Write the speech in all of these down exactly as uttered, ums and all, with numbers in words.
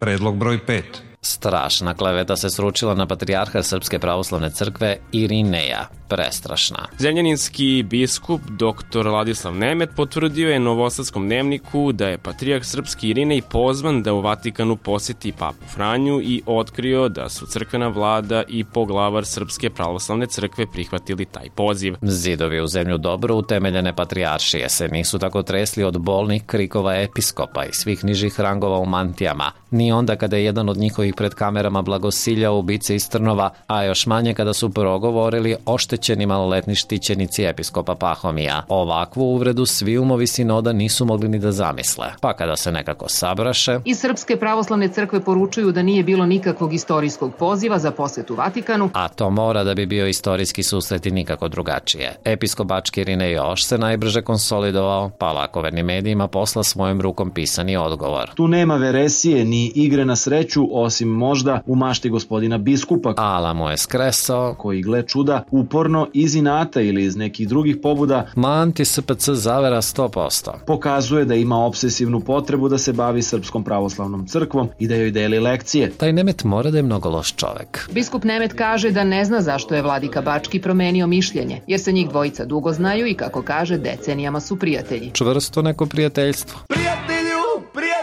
Predlog broj pet. Strašna kleveta se sručila na patrijarha Srpske pravoslavne crkve Irineja. Prestrašna. Zemljaninski biskup doktor Ladislav Nemet potvrdio je Novosadskom dnevniku da je patrijarh Srpski Irinej pozvan da u Vatikanu poseti papu Franju i otkrio da su crkvena vlada i poglavar Srpske pravoslavne crkve prihvatili taj poziv. Zidovi u zemlju dobro utemeljene patrijaršije se nisu tako tresli od bolnih krikova episkopa i svih nižih rangova u mantijama, ni onda kada je jedan od njihovih pred kamerama blagosiljao ubice iz Trnova, a još manje kada su progovorili oštećeni maloletni štićenici episkopa Pahomija. Ovakvu uvredu svi umovi sinoda nisu mogli ni da zamisle. Pa kada se nekako sabraše... Iz Srpske pravoslavne crkve poručuju da nije bilo nikakvog istorijskog poziva za posetu Vatikanu. A to mora da bi bio istorijski susret i nikako drugačije. Episkop Bački Irinej još se najbrže konsolidovao, pa lakovernim medijima posla svojom rukom pisani odgovor. Tu nema veresije ni igre na sreću, osim možda u mašti gospodina biskupa. Ala mu je skresao, koji, gle čuda, uporno iz inata ili iz nekih drugih pobuda manti S P C zavera sto posto. Pokazuje da ima obsesivnu potrebu da se bavi Srpskom pravoslavnom crkvom i da joj deli lekcije. Taj Nemet mora da je mnogo loš čovek. Biskup Nemet kaže da ne zna zašto je vladika Bački promenio mišljenje, jer se njih dvojica dugo znaju i, kako kaže, decenijama su prijatelji. Čvrsto neko prijateljstvo. Prijatelju, prijatelju!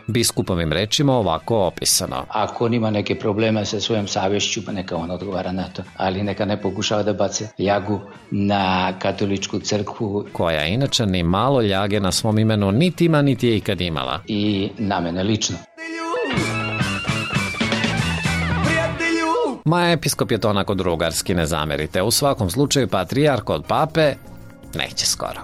Biskupovim rečima ovako opisano. Ako on ima neke probleme sa svojom savješću, pa neka on odgovara na to, ali neka ne pokušava da bace ljagu na katoličku crkvu, koja inače ni malo ljage na svom imenu niti ima, niti je ikad imala. I na mene lično. Ma episkop je to onako drugarski, ne zamerite. U svakom slučaju patrijarh od pape neće skoro.